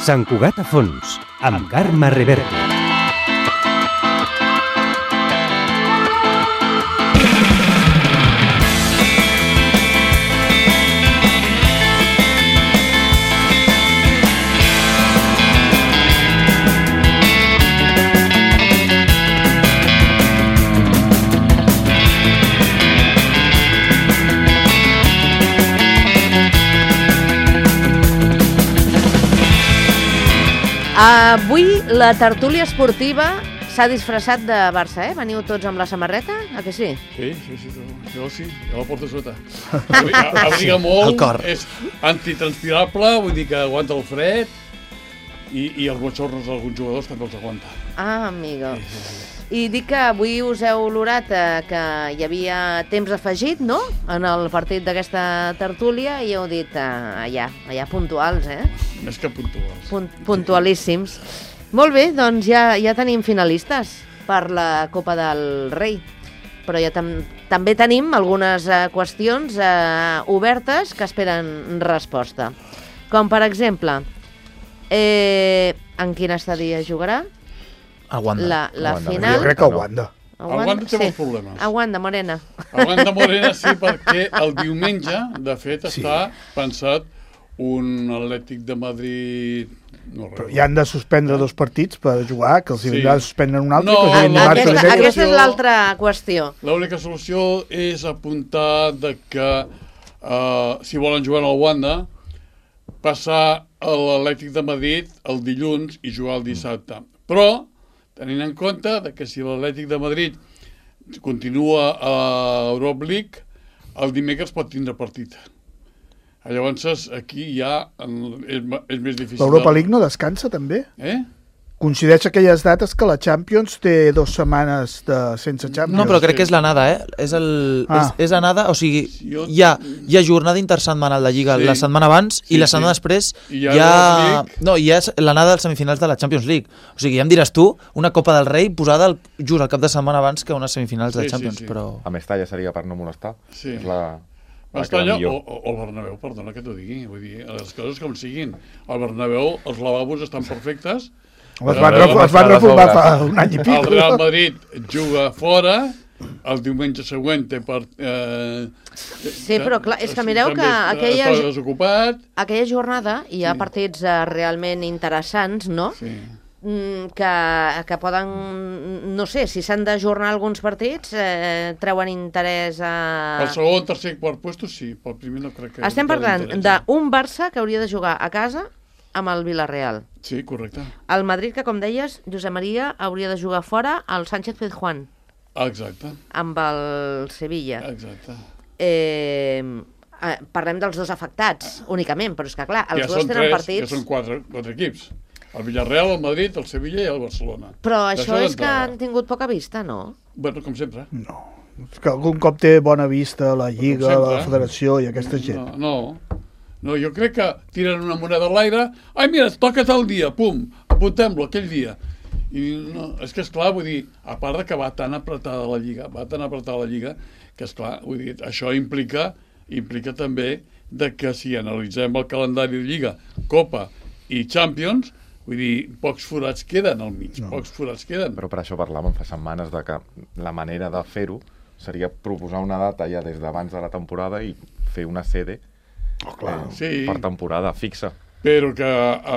Sant Cugat a fons, amb Carme Reverte. Avui la tertúlia esportiva s'ha disfressat de Barça, eh? Veniu tots amb la samarreta, a que sí? Sí, jo la porto sota. Abriga molt, és antitranspirable, vull dir que aguanta el fred i els botxornos d'alguns jugadors també els aguanta. Ah, amigo. I dic que avui us heu olorat que hi havia temps afegit, no?, en el partit d'aquesta tertúlia i heu dit allà puntuals, eh? Més que puntuals. Puntualíssims. Molt bé, doncs ja tenim finalistes per la Copa del Rei. Però ja també tenim algunes qüestions obertes que esperen resposta. Com, per exemple, en quin estadi es jugarà? A Wanda. La final... Jo crec que a Wanda. A Wanda té molts problemes. A Wanda, Morena. A Wanda Morena sí, perquè el diumenge, de fet, està pensat un Atlètic de Madrid... Però ja han de suspendre 2 partits per jugar, que els vindrà de suspendre un altre. Aquesta és l'altra qüestió. L'única solució és apuntar que si volen jugar al Wanda, passar a l'Atlètic de Madrid el dilluns i jugar el dissabte. Però, tenint en compte que si l'Atlètic de Madrid continua a Europa League, el dimecres pot tindre partit. Llavors, aquí ja és més difícil. L'Europa League no descansa, també? Coincideix aquelles dates que la Champions té 2 setmanes sense Champions. No, però crec que és l'anada, és anada, o sigui, hi ha jornada intersetmanal de Lliga la setmana abans i la setmana després hi ha l'anada dels semifinals de la Champions League. O sigui, ja em diràs tu, una Copa del Rei posada just al cap de setmana abans que unes semifinals de Champions. Però... A Mestalla seria per no molestar. Sí. És la... Mestalla o el Bernabéu, perdona que t'ho digui. Vull dir, les coses com siguin. Al Bernabéu els lavabos estan perfectes. Es van reformar fa un any i pico. El Real Madrid juga fora, el diumenge següent té Sí, però clar, és que mireu que aquella jornada hi ha partits realment interessants, no? Sí. Que poden, no sé, si s'han d'ajornar alguns partits, treuen interès a... El segon, tercer i quart puesto, sí, pel primer no crec que... Estem parlant d'un Barça que hauria de jugar a casa amb el Villarreal. Sí, correcte. El Madrid, que com deies, Josep Maria, hauria de jugar fora al Sánchez Pizjuán. Exacte. Amb el Sevilla. Exacte. Parlem dels 2 afectats, únicament, però és que clar, els dos tenen partits... Ja són 4 equips. El Villarreal, el Madrid, el Sevilla i el Barcelona. Però això és que han tingut poca vista, no? Bueno, com sempre. No, és que algun cop té bona vista la Lliga, la Federació i aquesta gent. No, jo crec que tiren una moneda a l'aire. Ai, mira, toca tal dia, pum, apuntem-lo aquell dia. I no, és que, esclar, vull dir, a part de que va tan apretada la Lliga, que, esclar, vull dir, això implica també de que si analitzem el calendari de Lliga, Copa i Champions, vull dir, pocs forats queden al mig, pocs forats queden. Però per això parlàvem fa setmanes de que la manera de fer-ho seria proposar una data ja des d'abans de la temporada i fer una sede per temporada fixa. Però que...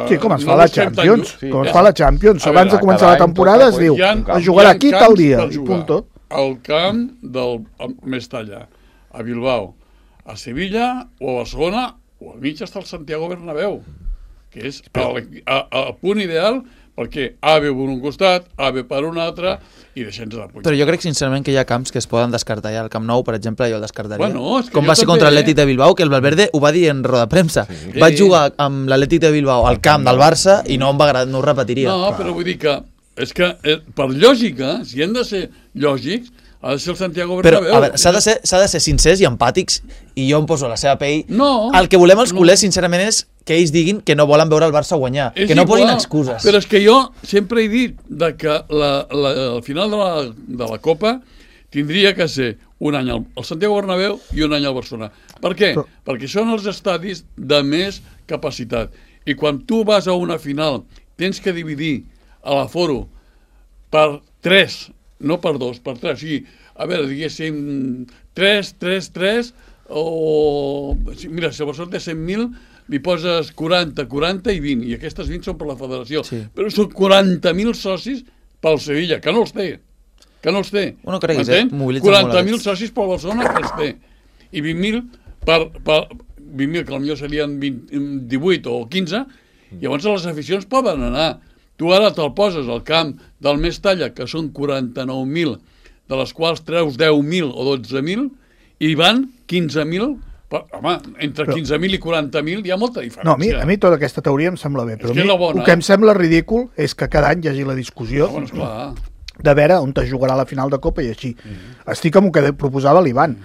Sí, com es fa la Champions. Com es fa la Champions. Abans de començar la temporada es diu es jugarà aquí tal dia. I punt tot. Al camp del Mestalla, a Bilbao, a Sevilla o a Barcelona, o al mig està el Santiago Bernabéu, que és el punt ideal perquè A ve per un costat, A ve per un altre i deixem-nos de puny. Però jo crec sincerament que hi ha camps que es poden descartar ja. El Camp Nou, per exemple, jo el descartaria. Bueno, com va ser contra l'Atlètic de Bilbao, que el Valverde ho va dir en roda de premsa. Sí. Vaig jugar amb l'Atlètic de Bilbao al camp del Barça i no ho repetiria. No, però vull dir que és que per lògica, si hem de ser lògics, ha de ser el Santiago Bernabéu. Però, a veure, s'ha de ser sincers i empàtics, i jo em poso a la seva pell. No. El que volem els culers, sincerament, és que ells diguin que no volen veure el Barça guanyar, que no posin excuses. Però és que jo sempre he dit que al final de la Copa tindria que ser un any al Santiago Bernabéu i un any al Barcelona. Per què? Perquè són els estadis de més capacitat. I quan tu vas a una final, tens que dividir a l'aforo per 3, no per 2, per 3. O sigui, a veure, diguéssim, 3, o... Mira, si el Barcelona té 100.000, li poses 40, 40 i 20, i aquestes 20 són per la federació. Sí. Però són 40.000 socis pel Sevilla, que no els té. Bueno, creguis, 40.000 socis pel Barcelona, que els té. I 20.000 per 20.000, que potser serien 18 o 15, llavors les aficions poden anar. Tu ara te'l poses al camp del Mestalla, que són 49.000, de les quals treus 10.000 o 12.000, i van 15.000. Home, entre 15.000 i 40.000 hi ha molta diferència. No, a mi tota aquesta teoria em sembla bé, però el que em sembla ridícul és que cada any hi hagi la discussió de veure on es jugarà la final de Copa i així. Estic amb el que proposava l'Ivan.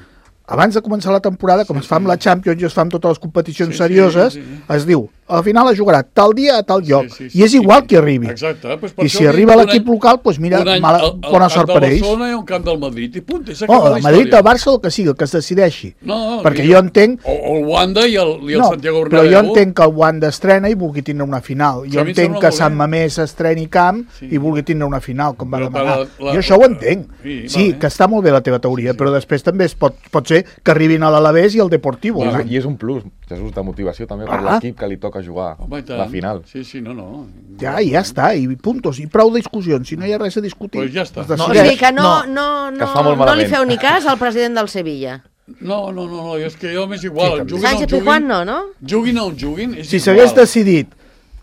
Abans de començar la temporada, com es fa amb la Champions i es fa amb totes les competicions serioses, es diu, a la final es jugarà tal dia a tal lloc, i és igual qui arribi. Exacte. I si arriba l'equip local, doncs mira, bona sort per ells. El Barcelona i un camp del Madrid, i punt, el Madrid, el Barça, el que sigui, el que es decideixi. Perquè jo entenc... O el Wanda i el Santiago Bernabéu. Però jo entenc que el Wanda estrena i vulgui tindre una final. Jo entenc que Sant Mamés estreni camp i vulgui tindre una final, com va demanar. Jo això ho entenc. Sí, que està molt bé la teva teoria, però després també pot ser que arribin a l'Alavés i al Deportivo. I és un plus, Jesús, de motivació també per l'equip que li toca jugar la final. Sí, no. Ja està, i puntos, i prou discussions, si no hi ha res a discutir. Pues ja està. O sigui que no li feu ni cas al president del Sevilla. No, és que jo m'és igual. Sánchez Pizjuán no? Juguin o no juguin, si s'hagués decidit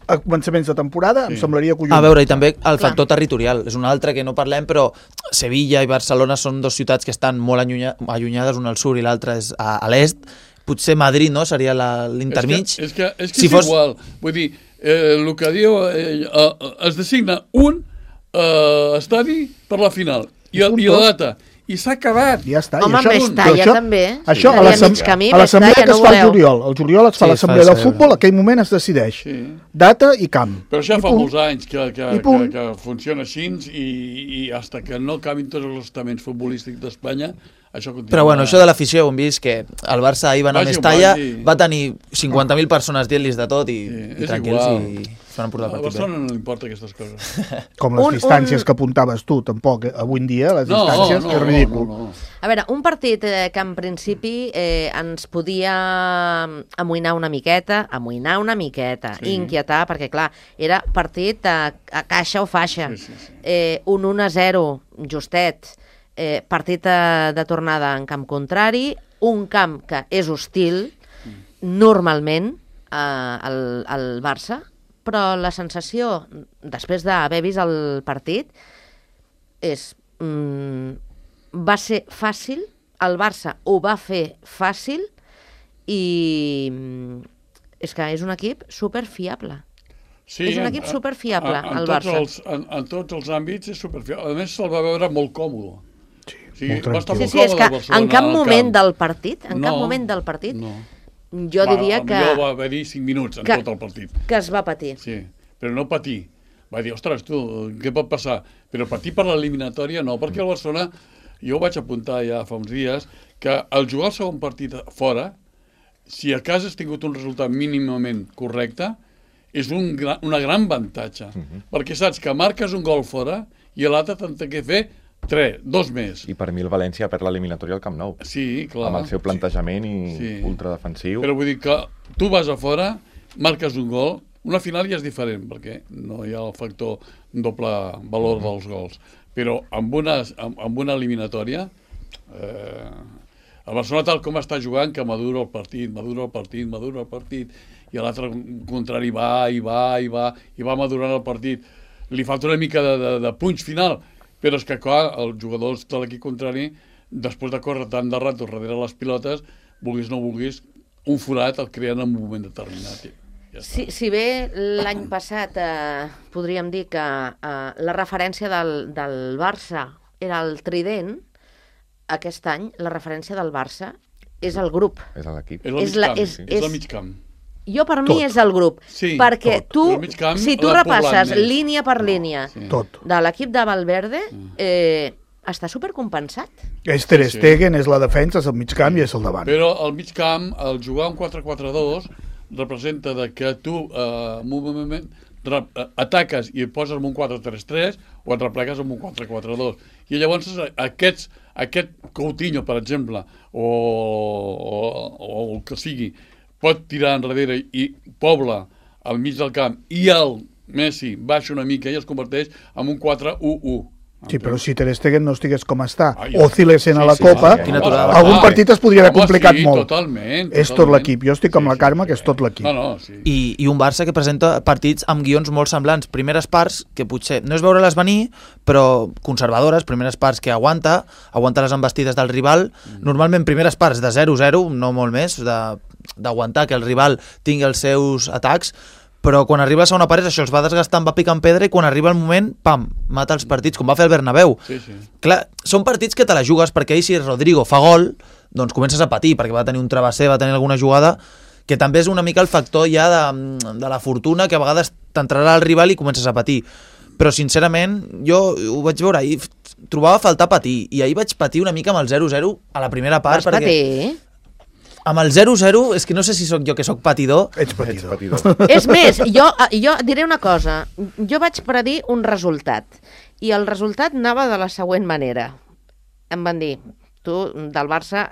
a començaments de temporada, em semblaria collons. A veure, i també el factor territorial. És un altre que no parlem, però Sevilla i Barcelona són dos ciutats que estan molt allunyades, una al sud i l'altra és a l'est. Potser Madrid, no?, seria l'intermig. És que és igual. Vull dir, el que diu... Es designa un estadi per la final i la data. I s'ha acabat. Ja està. Home, Mestalla també. Això a l'assemblea que es fa al juliol. Al juliol es fa l'assemblea del futbol, aquell moment es decideix. Data i camp. Però això fa molts anys que funciona així i fins que no acabin tots els estaments futbolístics d'Espanya, això continua. Però bueno, això de l'afició, hem vist que el Barça ahir va anar a Mestalla, va tenir 50.000 persones dient-los de tot i tranquils i s'han portat el partit bé. A Barcelona no li importa aquestes coses. Com les distàncies que apuntaves tu, tampoc. Avui en dia, les distàncies, és ridícul. A veure, un partit que en principi ens podia amoïnar una miqueta, inquietar, perquè clar, era partit a caixa o faixa. Un 1-0 justet, partit de tornada en camp contrari, un camp que és hostil, normalment, al Barça, però la sensació, després d'haver vist el partit, és... va ser fàcil, el Barça ho va fer fàcil i és que és un equip superfiable. Sí, és un equip superfiable, el Barça. En tots els àmbits és superfiable. A més, se'l va veure molt còmode. Sí, és que en cap moment del partit, jo diria que... Potser va haver-hi 5 minuts en tot el partit. Que es va patir. Sí, però no patir. Va dir, ostres, tu, què pot passar? Però patir per l'eliminatòria no, perquè el Barcelona, jo ho vaig apuntar ja fa uns dies, que al jugar el segon partit fora, si a casa has tingut un resultat mínimament correcte, és una gran avantatge. Perquè saps que marques un gol fora i l'altre te'n té que fer 2 més. I per mi el València perd l'eliminatòria al Camp Nou. Sí, clar. Amb el seu plantejament i ultradefensiu. Però vull dir que tu vas a fora, marques un gol, una final ja és diferent, perquè no hi ha el factor doble valor dels gols. Però amb una eliminatòria, el Barcelona tal com està jugant, que madura el partit, i l'altre contrari va madurant el partit. Li falta una mica de punx final, però és que, clar, els jugadors de l'equip contrari, després de córrer tant de rato darrere les pilotes, vulguis o no vulguis, un forat el creen en un moment determinat. Si bé l'any passat podríem dir que la referència del Barça era el trident, aquest any la referència del Barça és el grup. És l'equip. És el mig camp. Jo, per mi, és el grup. Sí, perquè tu, si tu repasses línia per línia de l'equip de Valverde, està supercompensat. És Ter Stegen, és la defensa, és el mig camp i és el davant. Però el mig camp, al jugar un 4-4-2, representa que tu en un moment ataques i et poses en un 4-3-3 o et replegues en un 4-4-2. I llavors aquest Coutinho, per exemple, o el que sigui, pot tirar enrere i pobla al mig del camp i el Messi baixa una mica i es converteix en un 4-1-1. Sí, però si Ter Stegen no estigués com està, oscil·lessent a la Copa, algun partit es podria haver complicat molt. Totalment. És tot l'equip. Jo estic amb la Carme, que és tot l'equip. I un Barça que presenta partits amb guions molt semblants. Primeres parts, que potser no és veure-les venir, però conservadores, primeres parts que aguanta les embestides del rival. Normalment primeres parts de 0-0, no molt més, d'aguantar que el rival tingui els seus atacs, però quan arriba la segona part això els va desgastant, va picant pedra i quan arriba el moment, pam, mata els partits, com va fer el Bernabéu. Clar, són partits que te la jugues perquè ahir si Rodrigo fa gol, doncs comences a patir, perquè va tenir un travesser, va tenir alguna jugada, que també és una mica el factor ja de la fortuna, que a vegades t'entrarà el rival i comences a patir. Però sincerament, jo ho vaig veure ahir, trobava a faltar patir, i ahir vaig patir una mica amb el 0-0 a la primera part. Vas patir? Amb el 0-0, és que no sé si sóc jo que sóc patidor. Ets patidor. És més, jo diré una cosa. Jo vaig predir un resultat, i el resultat anava de la següent manera. Em van dir, tu, del Barça,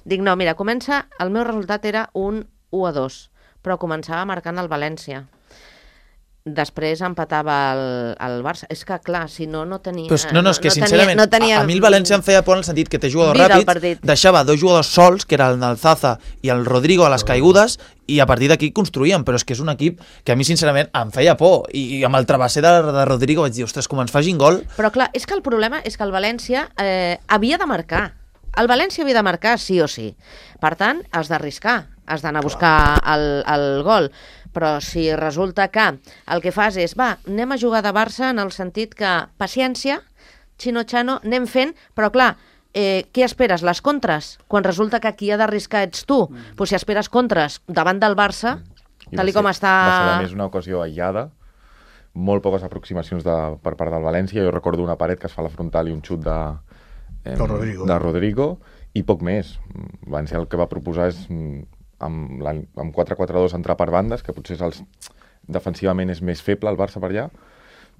dic, no, mira, el meu resultat era un 1-2, però començava marcant el València. Després empatava el Barça. És que, clar, si no tenia... No, és que, sincerament, a mi el València em feia por en el sentit que té jugadors ràpids, deixava dos jugadors sols, que era el Nalzaza i el Rodrigo, a les caigudes, i a partir d'aquí construïen, però és que és un equip que a mi, sincerament, em feia por. I amb el travesser de Rodrigo vaig dir, ostres, com ens facin gol... Però, clar, és que el problema és que el València havia de marcar. El València havia de marcar sí o sí. Per tant, has d'arriscar, has d'anar a buscar el gol. Però si resulta que el que fas és, anem a jugar de Barça en el sentit que, paciència, xino-xano, anem fent, però clar, què esperes, les contres? Quan resulta que qui ha d'arriscar ets tu. Pues si esperes contres davant del Barça, tal com està... Va ser, a més, una ocasió aïllada, molt poques aproximacions per part del València. Jo recordo una paret que es fa a la frontal i un xut de Rodrigo, i poc més. València el que va proposar és... amb 4-4-2 entrar per bandes, que potser defensivament és més feble el Barça per allà,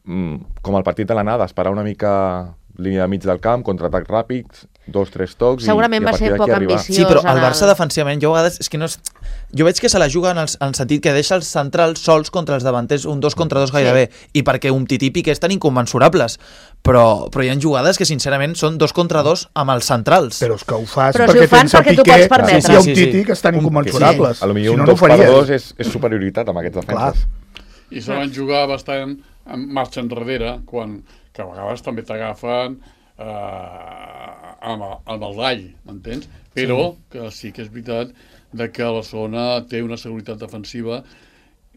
com el partit de l'anada, esperar una mica línia de mig del camp, contraatacs ràpids, 2-3 tocs, segurament i a partir d'aquí arribar. Sí, però el Barça defensivament, jo a vegades és que no és... Jo veig que se la juga en el sentit que deixa els centrals sols contra els davanters, un 2 contra 2 gairebé, i perquè un típic és tan incommensurables, però hi ha jugades que sincerament són 2 contra 2 amb els centrals. Però és que ho fas perquè tens el Piqué i un típic que estan incomensurables. A lo millor un 2 per 2 és superioritat amb aquests defenses. I se van jugar bastant en marxa enrere, que a vegades també t'agafen amb el gall, m'entens? Però que sí que és veritat que Barcelona té una seguretat defensiva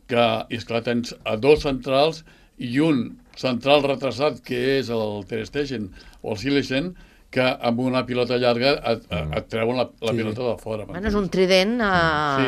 que, és clar, tens a 2 centrals i un central retrasat, que és el Ter Stegen o el Silesen, que amb una pilota llarga et treuen la pilota de fora. És un trident a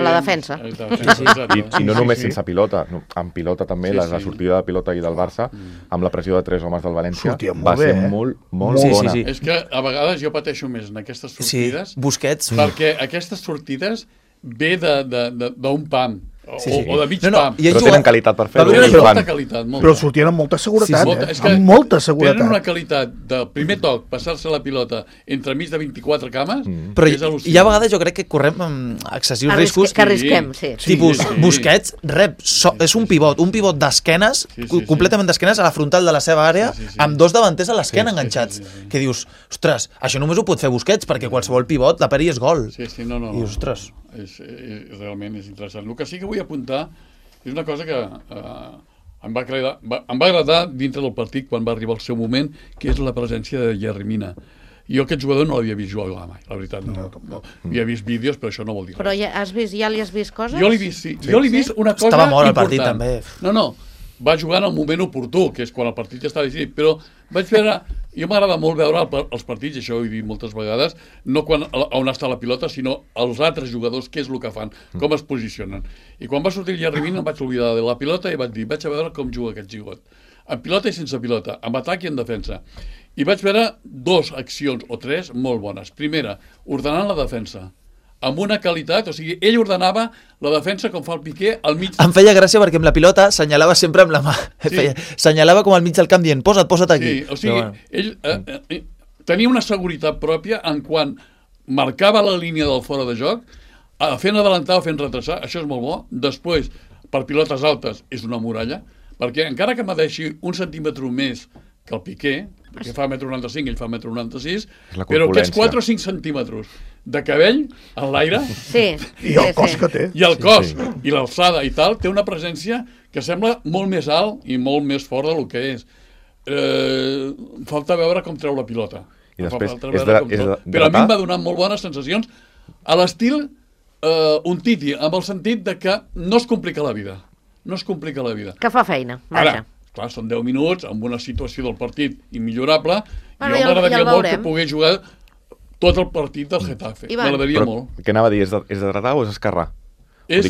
la defensa. I no només sense pilota, amb pilota també, la sortida de pilota i del Barça, amb la pressió de 3 homes del València, va ser molt bona. És que a vegades jo pateixo més en aquestes sortides, perquè aquestes sortides ve d'un pam, o de mig pam. Però tenen qualitat per fer-ho. Però sortien amb molta seguretat, amb molta seguretat. Tenen una qualitat de primer toc, passar-se la pilota entre mig de 24 cames, però hi ha vegades jo crec que correm amb excessius riscos. Que arrisquem, sí. Tipus, Busquets rep, és un pivot d'esquenes, completament d'esquenes a la frontal de la seva àrea, amb 2 davanters a l'esquena enganxats. Que dius, ostres, això només ho pot fer Busquets, perquè qualsevol pivot, la peri és gol. I dius, ostres... realment és interessant. El que sí que vull apuntar és una cosa que em va agradar dintre del partit quan va arribar el seu moment, que és la presència de Yerry Mina. Jo aquest jugador no l'havia vist jugar mai, la veritat. No. Havia vist vídeos, però això no vol dir res. Però ja li has vist coses? Jo l'he vist, sí. Jo l'he vist una cosa important. Estava molt al partit, també. No, va jugar en el moment oportú, que és quan el partit ja està decidit, però vaig veure... Jo m'agrada molt veure els partits, i això ho he dit moltes vegades, no on està la pilota, sinó els altres jugadors, què és el que fan, com es posicionen. I quan va sortir el Yerry Mina em vaig oblidar de la pilota i vaig dir, vaig a veure com juga aquest jugador. En pilota i sense pilota, en atac i en defensa. I vaig veure 2 accions o 3 molt bones. Primera, ordenant la defensa. amb una qualitat, o sigui, ell ordenava la defensa com fa el Piqué al mig. Em feia gràcia perquè amb la pilota senyalava sempre amb la mà. Sí. Senyalava com al mig del camp dient, posa't aquí. Sí, o sigui, ell tenia una seguretat pròpia en quan marcava la línia del fora de joc, fent adelantar o fent retrasar, això és molt bo. Després, per pilotes altes, és una muralla, perquè encara que m'adeixi un centímetre més que el Piqué, perquè fa 1,95 m, ell fa 1,96 m, però aquests 4 o 5 centímetres de cabell en l'aire, i el cos que té, i el cos, i l'alçada i tal, té una presència que sembla molt més alt i molt més fort del que és. Falta veure com treu la pilota. I després però a mi em va donar molt bones sensacions a l'estil Umtiti, amb el sentit de que no es complica la vida. No es complica la vida. Que fa feina, vaja. Ara, clar, són 10 minuts, amb una situació del partit immillorable, i jo m'agradaria molt que pogués jugar tot el partit del Getafe. M'agradaria molt. Què anava a dir? És de dretar o és esquerrar? És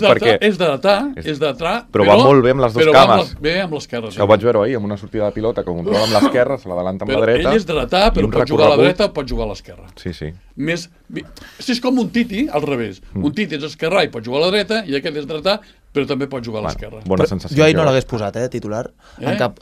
d'atrar, però va molt bé amb les dues cames. Bé amb l'esquerra. Ho vaig veure ahir, amb una sortida de pilota que controla amb l'esquerra, se l'adelanta amb la dreta. Ell és dretar, però pot jugar a la dreta o pot jugar a l'esquerra. Sí. És com un Titi, al revés. Un Titi és esquerrà i pot jugar a la dreta, i aquest és dretar, però també pot jugar a l'esquerra. Bona sensació. Jo ahir no l'hagués posat, titular, en cap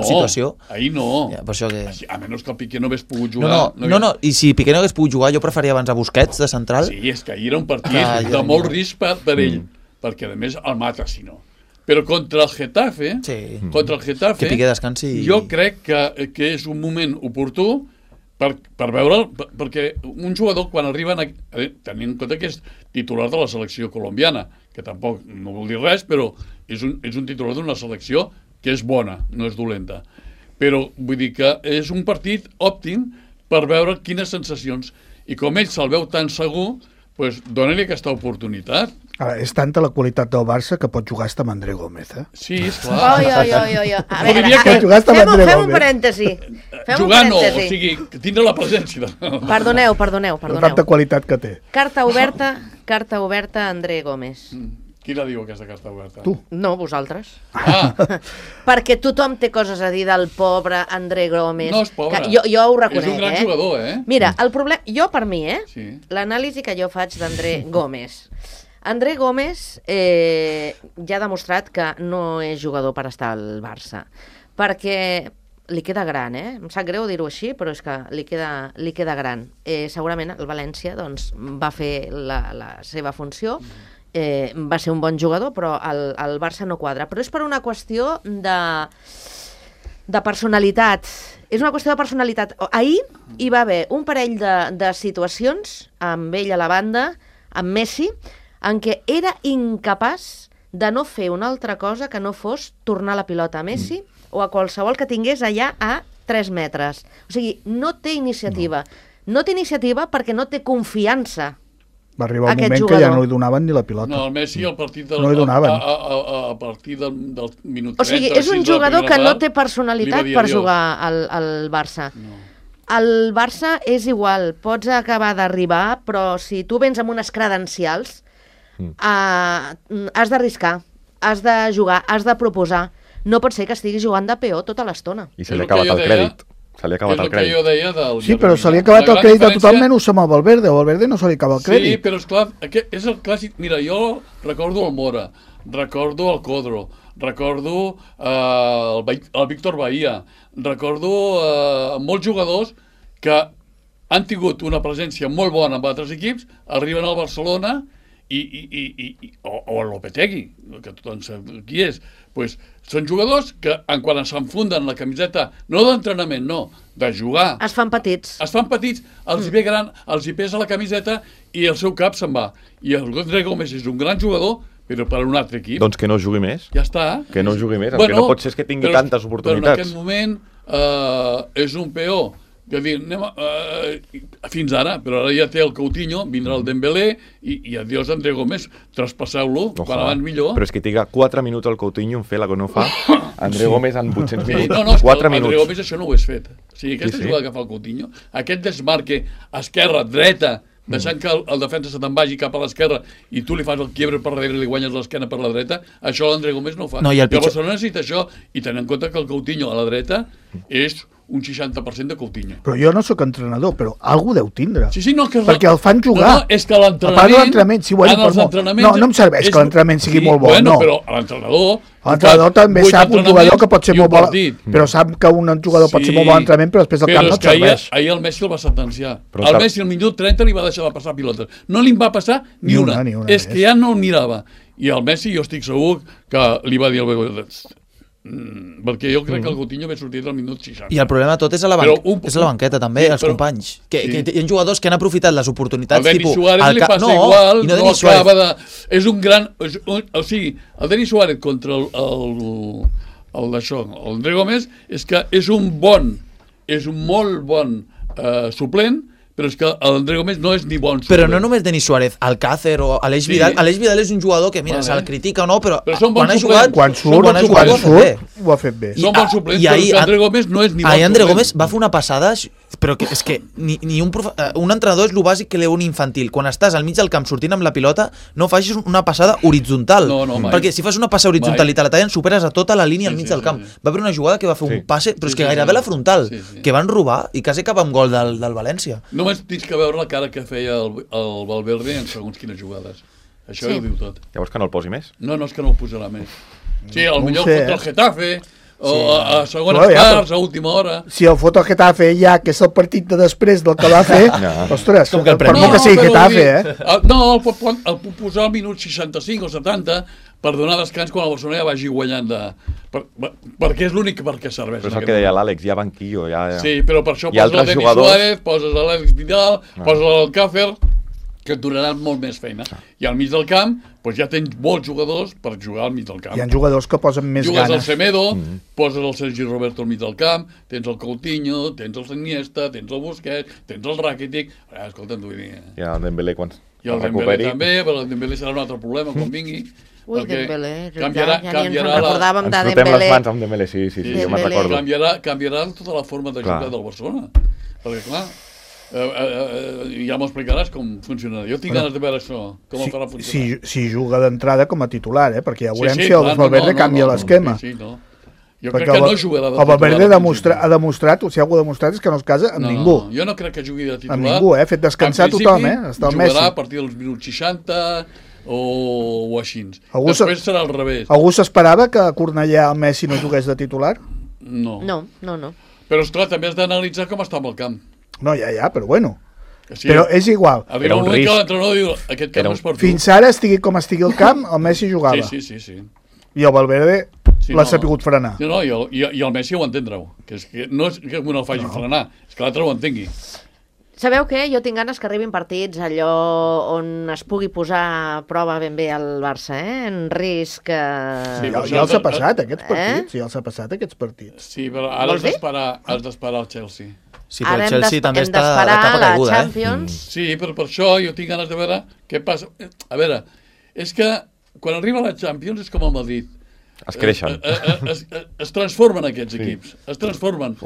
situació. Ahir no. Per això que... A menys que el Piqué no hagués pogut jugar. No, i si Piqué no hagués pogut jugar, jo prefaria abans a Busquets, de central. Sí, és que ahir era un partit de molt risc per ell, perquè a més el mata, si no. Però contra el Getafe, que Piqué descansi... Jo crec que és un moment oportú per veure'l, perquè un jugador quan arriba, tenint en compte que és titular de la selecció colombiana, que tampoc no vol dir res, però és un titular d'una selecció que és bona, no és dolenta. Però vull dir que és un partit òptim per veure quines sensacions. I com ell se'l veu tan segur, doncs dona-li aquesta oportunitat. Ara, és tanta la qualitat del Barça que pot jugar hasta amb André Gómez, Sí, esclar. A veure, fem un parèntesi. Jugar no, o sigui, tindre la presència. Perdoneu. Tanta qualitat que té. Carta oberta André Gómez. Qui la diu, aquesta carta oberta? Tu. No, vosaltres. Perquè tothom té coses a dir del pobre André Gómez. No és pobre. Jo ho reconec, És un gran jugador, Mira, el problema... Jo, per mi, l'anàlisi que jo faig d'André Gómez. André Gómez ja ha demostrat que no és jugador per estar al Barça. Perquè li queda gran, em sap greu dir-ho així, però és que li queda gran. Segurament el València va fer la seva funció, va ser un bon jugador, però el Barça no quadra. Però és per una qüestió de personalitat. És una qüestió de personalitat. Ahir hi va haver un parell de situacions amb ell a la banda, amb Messi, en què era incapaç de no fer una altra cosa que no fos tornar la pilota a Messi o a qualsevol que tingués allà a 3 metres. O sigui, no té iniciativa. No té iniciativa perquè no té confiança. Va arribar un moment que ja no li donaven ni la pilota. No, el Messi al partit del, no li donaven. A partir del minut 30... O sigui, és un jugador que no té personalitat per jugar al Barça. No. El Barça és igual, pots acabar d'arribar, però si tu vens amb unes credencials, has d'arriscar, has de jugar, has de proposar. No pot ser que estiguis jugant de peó tota l'estona. I se li ha acabat el crèdit. Se li ha acabat el crèdit. Sí, però se li ha acabat el crèdit a tothom menys amb el Valverde. El Valverde no se li acaba el crèdit. Sí, però esclar, és el clàssic. Mira, jo recordo el Mora, recordo el Codro, recordo el Víctor Bahía, recordo molts jugadors que han tingut una presència molt bona amb altres equips, arriben al Barcelona o el Lopetegui, que tothom sap qui és, pues, són jugadors que quan s'enfunden la camiseta, no d'entrenament, no, de jugar. Es fan petits. Els hi ve gran, els hi pesa la camiseta i el seu cap se'n va. I el André Gómez és un gran jugador, però per a un altre equip. Doncs que no jugui més. Ja està. Que no jugui més. El que no pot ser és que tingui tantes oportunitats. Però en aquest moment és un peó. Que dir, fins ara, però ara ja té el Coutinho, vindrà el Dembélé i adiós André Gómez, traspasseu-lo, quan abans millor. Però és que triga 4 minuts el Coutinho en fer la que no fa André Gómez en 800 minuts. No, 4 minuts. André Gómez això no ho és fet. O sigui, aquesta jugada que fa el Coutinho, aquest desmarque esquerra, dreta, deixant que el defensa se te'n vagi cap a l'esquerra i tu li fas el quiebre per darrere i li guanyes l'esquena per la dreta, això l'André Gómez no ho fa. No, i el Barcelona necessita això, i tenint en compte que el Coutinho a la dreta és un 60% de Coutinho. Però jo no sóc entrenador, però algú deu tindre. Sí, no, perquè el fan jugar. No, és que l'entrenament... No em serveix que l'entrenament sigui molt bo, no. Però l'entrenador... L'entrenador també sap un jugador que pot ser molt bo, però sap que un jugador pot ser molt bo a l'entrenament, però després el camp no et serveix. Ahir el Messi el va sentenciar. El Messi al minut 30 li va deixar de passar pilotes. No li va passar ni una. És que ja no el mirava. I el Messi jo estic segur que li va dir al Bebe... perquè jo crec que el Coutinho ve sortit al minut 60. I el problema tot és a la, és a la banqueta també, els companys, que hi ha jugadors que han aprofitat les oportunitats el Denis Suárez li passa igual, no acaba de... és un gran... o sigui, el Denis Suárez contra l'André Gómez és que és un molt bon suplent, però és que l'André Gómez no és ni bon suplent. Però no només Denis Suárez, Alcácer o Aleix Vidal. Aleix Vidal és un jugador que, mira, se'l critica o no, però quan ha jugat... Quan surt, ho ha fet bé. Són bons suplents, però que André Gómez no és ni bon suplent. André Gómez va fer una passada, però és que un entrenador és el bàsic que un infantil. Quan estàs al mig del camp sortint amb la pilota, no facis una passada horitzontal. Perquè si fas una passa horitzontal i te la tallen, superes a tota la línia al mig del camp. Va haver una jugada que va fer un passe, però és que gairebé la frontal, que van robar i quasi acaba amb gol del València. Només tens que veure la cara que feia el Valverde en segons quines jugades. Això ho diu tot. Llavors que no el posi més? No, és que no el posarà més. Sí, potser contra el Getafe, o a segones parts, a última hora. Si el fot el Getafe ja, que és el partit de després del que va fer, ostres, per molt que sigui Getafe, No, el puc posar al minut 65 o 70 per donar descans quan el Barcelona ja vagi guanyant perquè és l'únic per què serveix. Però és el que deia l'Àlex, hi ha banquillo. Sí, però per això poses el Denis Suárez, poses l'Àlex Vidal, poses l'Alcácer, que et donaran molt més feina. I al mig del camp ja tens molts jugadors per jugar al mig del camp. Hi ha jugadors que posen més ganes. Jugues al Semedo, poses el Sergi Roberto al mig del camp, tens el Coutinho, tens el Iniesta, tens el Busquets, tens el Rakitic... Escolta, t'ho vull dir... I el Dembélé quan I el Dembélé també, però el Dembélé serà un altre problema quan vingui. Ui, Dembélé, canviarà recordàvem de Dembélé. Ens fotem les mans amb Dembélé, sí, jo me'n recordo. Canviarà tota la forma de jugar del Barcelona. Perquè, clar, ja m'ho explicaràs com funcionarà. Jo tinc ganes de veure això, com el farà funcionar. Si juga d'entrada com a titular, perquè ja veurem si el Valverde canvia l'esquema. Jo crec que no jugarà de titular. El Valverde ha demostrat, o si algú ha demostrat, és que no es casa amb ningú. Jo no crec que jugui de titular. Amb ningú, ha fet descansar tothom, està el Messi. Jugarà a partir dels minuts 60 o així. Després serà al revés. Algú s'esperava que a Cornellà el Messi no jugués de titular? No. Però, esclar, també has d'analitzar com està amb el camp. No, ja, però bueno. Sí, però és igual. Era un risc. Aquest camp no és per tu. Fins ara, estigui com estigui el camp, el Messi jugava. Sí. I el Valverde l'ha sapigut frenar. No, i el Messi ho entendreu. Que no és que un el faci frenar, és que l'altre ho entengui. Sabeu què? Jo tinc ganes que arribin partits allò on es pugui posar a prova ben bé el Barça, en risc... Ja els ha passat, aquests partits. Ja els ha passat, aquests partits. Sí, però ara has d'esperar el Chelsea. Sí, però el Chelsea també està de capa caiguda, Sí, però per això jo tinc ganes de veure què passa. A veure, és que quan arriba la Champions és com el Madrid. Es creixen. Es transformen aquests equips. Es transformen.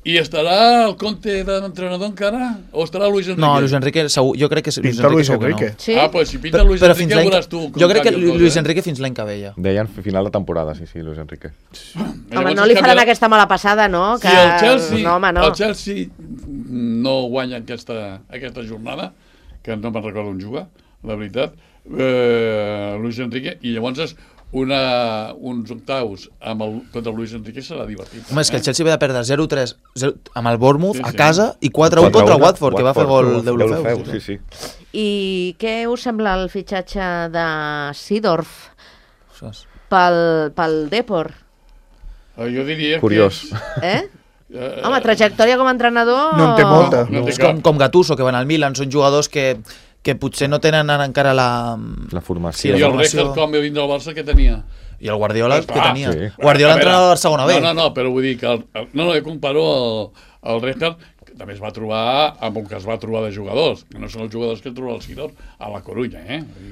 I estarà el Conte d'entrenador encara? O estarà Luis Enrique? No, Luis Enrique segur. Jo crec que Luis Enrique. Sí? Pues si pinta Luis Enrique ja veuràs tu. Jo crec que Luis Enrique fins l'any que ve ja. Deien final de temporada, sí, Luis Enrique. Home, no li faran aquesta mala passada, no? Si el Chelsea no guanya aquesta jornada, que no me'n recordo on juga, la veritat, Luis Enrique, i llavors uns octaus contra el Luis Enrique serà divertit. Home, és que el Chelsea ve de perdre 0-3 amb el Bournemouth a casa i 4-1 contra el Watford, que va fer gol d'Eurofeu. Sí. I què us sembla el fitxatge de Seedorf pel Depor? Jo diria curiós. Home, trajectòria com a entrenador... No en té molta. És com Gattuso, que van al Milan, són jugadors que potser no tenen encara la formació. I el Rijkaard, quan va vindre al Barça, què tenia? I el Guardiola, què tenia? Guardiola entrenava a la segona B. No, però vull dir que... jo comparo el Rijkaard, que també es va trobar amb el que es va trobar de jugadors, que no són els jugadors que es troba el Seedorf a la Corunya,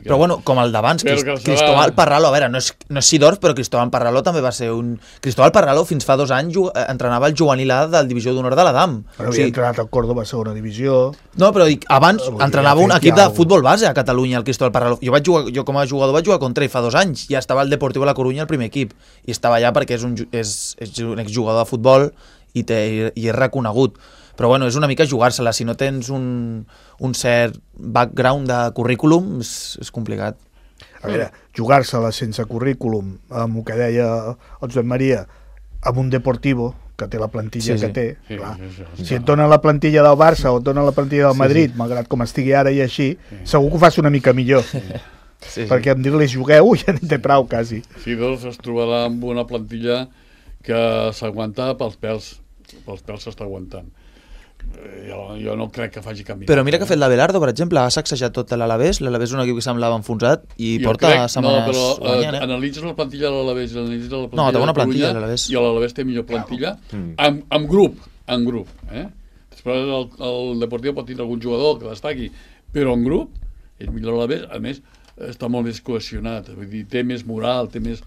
Però bueno, com el d'abans, Cristóbal Parralo, a veure, no és Seedorf, però Cristóbal Parralo també va ser un... Cristóbal Parralo fins fa 2 anys entrenava el juvenil A del Divisió d'Honor de l'Adam. Però havia entrenat al Córdoba a segona divisió... No, però abans entrenava un equip de futbol base a Catalunya, el Cristóbal Parralo. Jo com a jugador vaig jugar contra ell fa 2 anys, ja estava al Deportivo de la Corunya, el primer equip, i estava allà perquè és un exjugador de futbol i és reconegut. Però bueno, és una mica jugar-se-la. Si no tens un cert background de currículum, és complicat. A veure, jugar-se-la sense currículum, amb el que deia el Joan Maria, amb un Deportivo, que té la plantilla que té, clar. Si et donen la plantilla del Barça o et donen la plantilla del Madrid, malgrat com estigui ara i així, segur que ho fas una mica millor. Perquè em dir-li jugueu ja n'hi té prou, quasi. Sí, doncs es trobarà amb una plantilla que s'aguanta pels pèls s'està aguantant. Jo no crec que faci canvi. Però mira que ha fet l'Abelardo, per exemple, ha sacsejat tot l'Alavés. L'Alavés és un equip que semblava enfonsat i porta setmanes guanyant. Analitzes la plantilla de l'Alavés, analitzes la plantilla té bona de plantilla, l'Alavés. I l'Alavés té millor plantilla en grup. Després el Deportivo pot tindre algun jugador que destaqui, però en grup és millor l'Alavés. A més, està molt més cohesionat, vull dir, té més moral, té més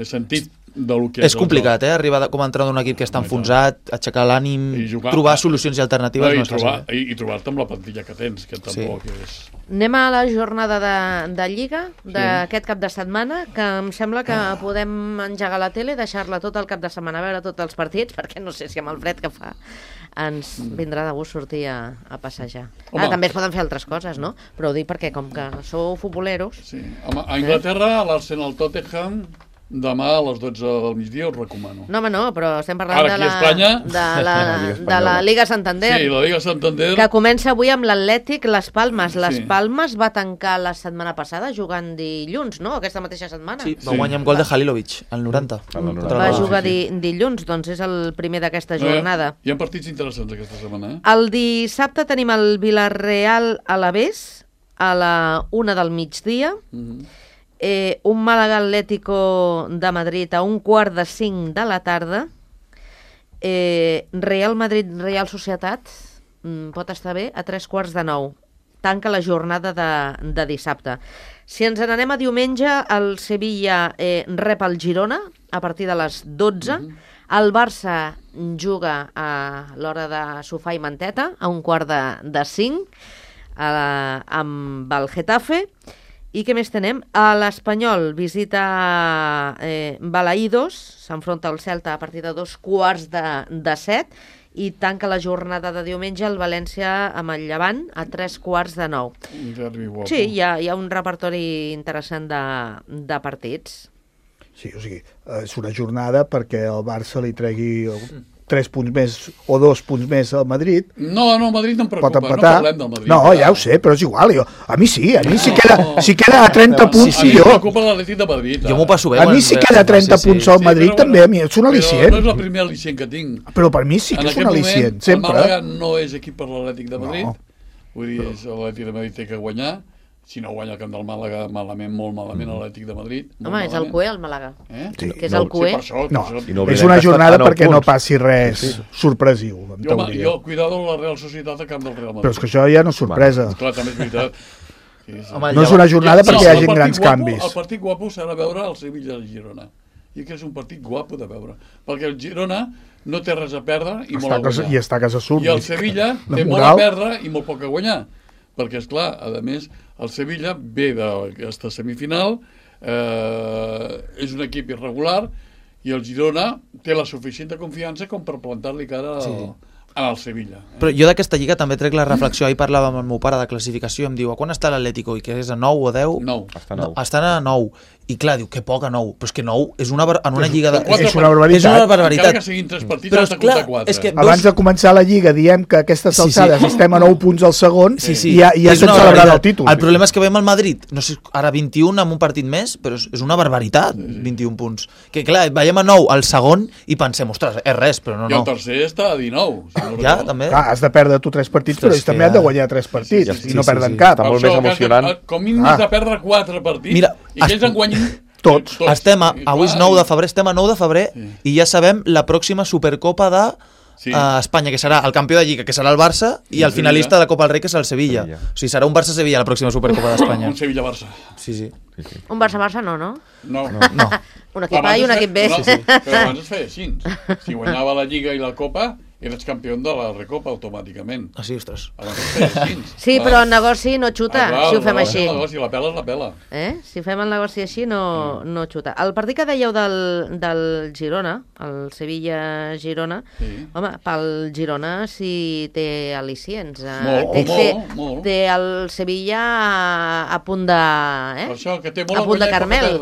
sentit del que és complicat, arribar com a entrenador d'un equip que està enfonsat, aixecar l'ànim, trobar solucions i alternatives no és fàcil. I trobar-te amb la plantilla que tens, que tampoc és... Anem a la jornada de Lliga d'aquest cap de setmana, que em sembla que podem engegar la tele i deixar-la tot el cap de setmana a veure tots els partits, perquè no sé si amb el fred que fa ens vindrà de gust sortir a passejar. També es poden fer altres coses, no? Però ho dic perquè com que sou futboleros... Sí. A Anglaterra, l'Arsenal Tottenham... Demà a les 12 del migdia us recomano. No, home, no, però estem parlant de la Liga Santander. Sí, la Liga Santander. Que comença avui amb l'Atlètic Las Palmas. Las Palmas va tancar la setmana passada jugant dilluns, no? Aquesta mateixa setmana. Sí, va guanyar amb gol de Halilovic, al 90. Va jugar dilluns, doncs és el primer d'aquesta jornada. Hi ha partits interessants aquesta setmana, El dissabte tenim el Villarreal Alavés a la 1 del migdia. Un Màlaga Atlético de Madrid a 4:45 de la tarda. Real Madrid Real Societat pot estar bé a 8:45. Tanca la jornada de dissabte. Si ens n'anem a diumenge, el Sevilla rep el Girona a partir de les 12. El Barça juga a l'hora de sofà i manteta a 4:45 amb el Getafe. I què més tenem? L'Espanyol visita Balaïdos, s'enfronta al Celta a partir de 7:15 i tanca la jornada de diumenge el València amb el Llevant a 8:45. Sí, hi ha un repertori interessant de partits. Sí, o sigui, és una jornada perquè el Barça li tregui 3 punts més o 2 punts més al Madrid. No, el Madrid no em preocupa, no parlem del Madrid. No, ja ho sé, però és igual. A mi si queda a 30 punts, sí, jo. Em preocupa l'Atlètic de Madrid. Jo m'ho passo bé. A mi si queda a 30 punts al Madrid també, a mi és un al·licient. Però no és el primer al·licient que tinc. Però per mi sí que és un al·licient, sempre. El Màlaga no és equip per l'Atlètic de Madrid. Vull dir, l'Atlètic de Madrid té que guanyar. Si no guanya el camp del Màlaga, malament, molt malament, l'Atlètic de Madrid. Home, és el cué, el Màlaga. Que és el cué. No, és una jornada perquè no passi res sorpresiu, en teoria. Jo, cuidado la Real Societat a camp del Real Madrid. Però és que això ja no és sorpresa. Clar, també és veritat. No és una jornada perquè hi hagi grans canvis. El partit guapo serà veure el Sevilla i Girona. I que és un partit guapo de veure. Perquè el Girona no té res a perdre i molt a guanyar. I està a casa surt. I el Sevilla té molt a perdre i molt poc a guanyar. Perquè, esclar, a més, el Sevilla ve d'aquesta semifinal, és un equip irregular, i el Girona té la suficient confiança com per plantar-li cara al Sevilla. Però jo d'aquesta lliga també trec la reflexió. Ahir parlava amb el meu pare de classificació i em diu, a quan està l'Atlético? I que és a 9 o 10? 9. Estan a 9. I clar, diu, que poc a 9. Però és que 9 és en una lliga... És una barbaritat. És una barbaritat. Encara que siguin 3 partits, has de comptar 4. Abans de començar la lliga diem que aquestes alçades estem a 9 punts al segon i ja estem celebrant el títol. El problema és que veiem el Madrid, no sé, ara 21 amb un partit més, però és una barbaritat, 21 punts. Que clar, veiem a 9 al segon i pensem, ostres, és res, però no. I el tercer està a 19. Ja, també. Has de perdre tu 3 partits, però ells també han de guanyar 3 partits i no perden cap. Està molt més emocionant. Com mínim has de perdre 4 partits i que ells en guanyin tots. Avui és 9 de febrer, estem a 9 de febrer i ja sabem la pròxima Supercopa de Espanya, que serà el campió de Lliga, que serà el Barça, i el finalista de Copa del Rei, que serà el Sevilla. O sigui, serà un Barça-Sevilla la pròxima Supercopa d'Espanya. Un Sevilla-Barça. Sí. Un Barça-Barça no? No. Un equip A i un equip B. Però abans es feia així. Si guanyava la Lliga i la Copa, eres campió de la Recopa automàticament. Ah, sí, ostres. Sí, però el negoci no xuta, si ho fem així. El negoci, la pela és la pela. Si fem el negoci així, no xuta. El partit que dèieu del Girona, el Sevilla-Girona, home, pel Girona sí té al·licients. Molt. Té el Sevilla a punt de... Per això, que té molt a punt de Carmel.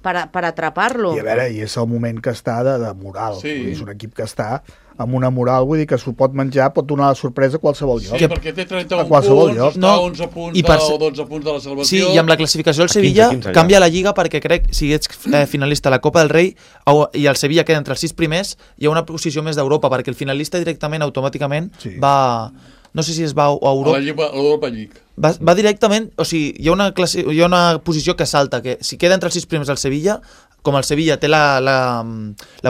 Per atrapar-lo. I a veure, i és el moment que està de moral. És un equip que està amb una moral, vull dir que s'ho pot menjar, pot donar la sorpresa a qualsevol lloc. Sí, perquè té 31 punts, està a 11 punts o 12 punts de la salvació. Sí, i amb la classificació del Sevilla 15, canvia la Lliga perquè crec, si ets finalista a la Copa del Rei i el Sevilla queda entre els 6 primers, hi ha una posició més d'Europa, perquè el finalista directament, automàticament, va... No sé si es va a Europa. A l'Europa League. Va directament, o sigui, hi ha una posició que salta, que si queda entre els 6 primers el Sevilla, com el Sevilla té la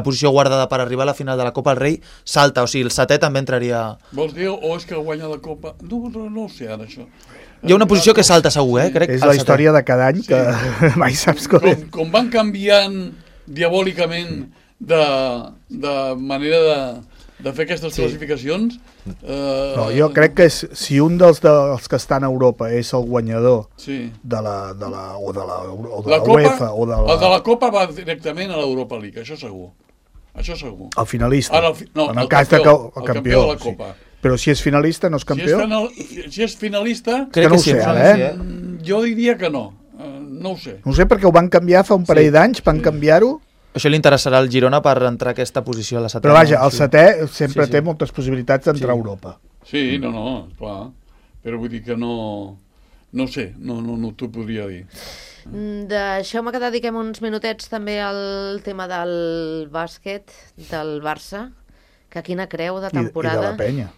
posició guardada per arribar a la final de la Copa del Rei, salta, o sigui, el setè també entraria... Vols dir, o és que guanya la Copa? No ho sé, ara, això. Hi ha una posició que salta segur, crec. És la història de cada any que mai saps com... Com van canviant diabòlicament de manera de fer aquestes classificacions... No, jo crec que si un dels que estan a Europa és el guanyador de la UEFA o de la... El de la Copa va directament a l'Europa League, això segur. El finalista. En el cas del campió de la Copa. Però si és finalista no és campió? Si és finalista... Crec que no ho sé, ara, Jo diria que no. No ho sé. No ho sé perquè ho van canviar fa un parell d'anys, van canviar-ho. Això li interessarà al Girona per entrar a aquesta posició a la setena. Però vaja, el setè sempre té moltes possibilitats d'entrar a Europa. Sí, no, clar. Però vull dir que no ho sé, no t'ho podria dir. Deixeu-me que dediquem uns minutets també al tema del bàsquet, del Barça, que quina creu de temporada. I de la Penya.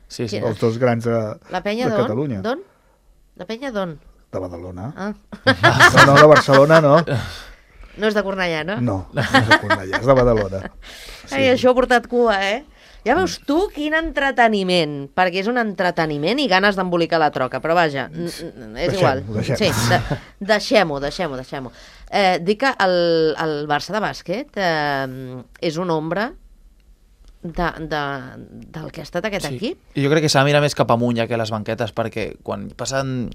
Sí. Els dos grans de Catalunya. D'on? La Penya d'on? De Badalona. No, de Barcelona no. No és de Cornellà, no? No és de Cornellà, és de Badalona. Això ha portat cua, Ja veus tu quin entreteniment, perquè és un entreteniment i ganes d'embolicar la troca, però vaja, és igual. Sí, deixem-ho. Dic que el Barça de bàsquet és una ombra del que ha estat aquest equip. I jo crec que s'ha de mirar més cap amunt que a les banquetes, perquè quan passen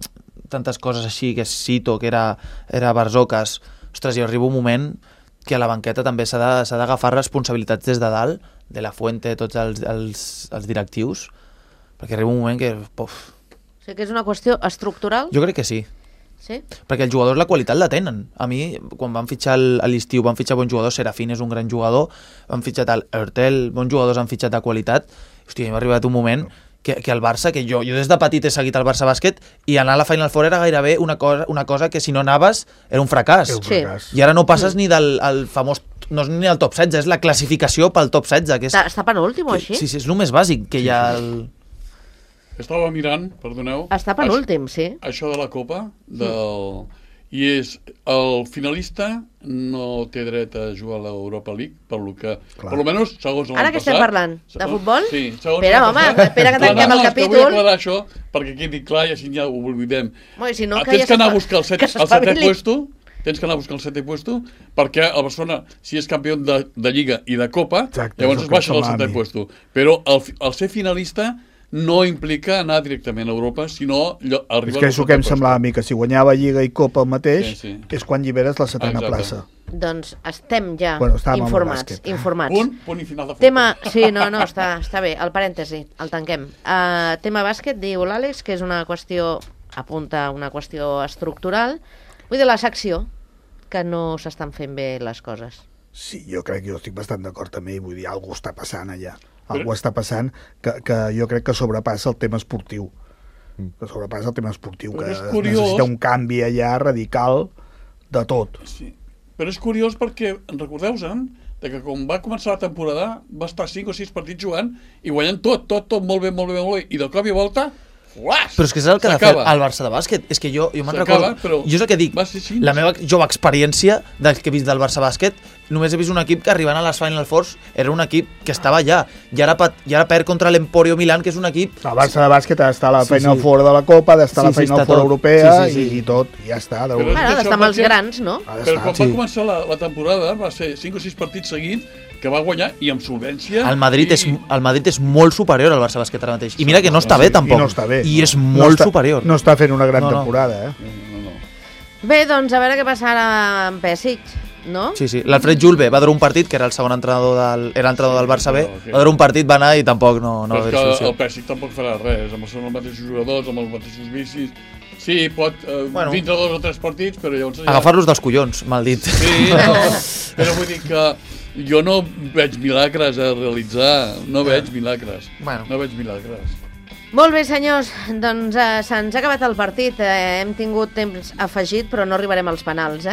tantes coses així, que és Sito, que era Barzocas, ostres, hi arriba un moment que a la banqueta també s'ha d'agafar responsabilitats des de dalt, de la Fuente, tots els directius, perquè arriba un moment que... O sigui que és una qüestió estructural? Jo crec que sí. Sí? Perquè els jugadors la qualitat la tenen. A mi, quan van fitxar a l'estiu, van fitxar bons jugadors, Serafín és un gran jugador, van fitxat Ertel, bons jugadors han fitxat de qualitat. Hòstia, m'ha arribat un moment que el Barça, que jo des de petit he seguit el Barça bàsquet, i anar a la Final Four era gairebé una cosa que si no anaves era un fracàs. Sí. I ara no passes ni del famós, no és ni el top 16, és la classificació pel top 16. Que és, està penúltim o així? Sí, és el més bàsic que hi ha... Estava mirant, perdoneu... Està penúltim, sí. Això de la Copa, i és el finalista no té dret a jugar a l'Europa League, per lo que, per lo menos, segons l'any passat... Ara que estem parlant? De futbol? Sí, segons l'any passat. Espera que tanquem el capítol. Vull aclarar això, perquè quedi clar i així ja ho oblidem. Si no, tens que anar a buscar el setè puesto, perquè el Barcelona, si és campió de Lliga i de Copa, llavors es baixa al setè puesto. Però el ser finalista no implica anar directament a Europa, sinó arribar... És que és el que em semblava a mi, que si guanyava Lliga i Copa el mateix, és quan lliberes la setena plaça. Doncs estem ja informats. Punt i final de futbol. Sí, no, està bé, el parèntesi, el tanquem. Tema bàsquet, diu l'Àlex, que és una qüestió, apunta una qüestió estructural. Vull dir, la secció, que no s'estan fent bé les coses. Sí, jo estic bastant d'acord amb ell, vull dir, alguna cosa està passant allà. Algú està passant que jo crec que sobrepassa el tema esportiu. Que necessita un canvi allà radical de tot. Sí. Però és curiós perquè, recordeu-se'n, que quan va començar la temporada va estar 5 o 6 partits jugant i guanyant tot molt bé, i de cop i volta Però és que és el que ha de fer el Barça de bàsquet. És que jo me'n recordo... Jo és el que dic, la meva jove experiència del que he vist del Barça bàsquet, només he vist un equip que arribant a les Final Fours era un equip que estava allà. I ara perd contra l'Emporio Milán, que és un equip... El Barça de bàsquet ha d'estar a la Final Four de la Copa, ha d'estar a la Final Four europea i tot, ja està. Ha d'estar amb els grans, no? Però quan va començar la temporada va ser 5 o 6 partits seguits que va guanyar i amb solvència... El Madrid és molt superior al Barça bàsquet ara mateix. I mira que no està bé, tampoc. I no està bé. I és molt superior. No està fent una gran temporada, Bé, doncs a veure què passarà amb Pesic, no? Sí. L'Alfred Julve va dur un partit, que era el segon entrenador del Barça B, va dur un partit, va anar i tampoc no va haver solució. El Pesic tampoc farà res, són els mateixos jugadors, amb els mateixos vicis... Sí, pot dintre 2 o 3 partits, però llavors... Agafar-los dels collons, mal dit. Sí, però vull dir que jo no veig milagres a realitzar, no veig milagres. Molt bé, senyors, doncs se'ns ha acabat el partit. Hem tingut temps afegit, però no arribarem als penals,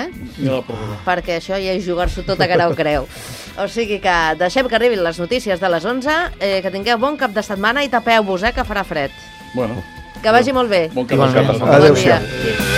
perquè això ja és jugar-s'ho tot a cara o creu. O sigui que deixem que arribin les notícies de les 11, que tingueu bon cap de setmana i tapeu-vos, que farà fred. Bueno. Que vagi molt bé. Bon cap de setmana. Adéu-siau.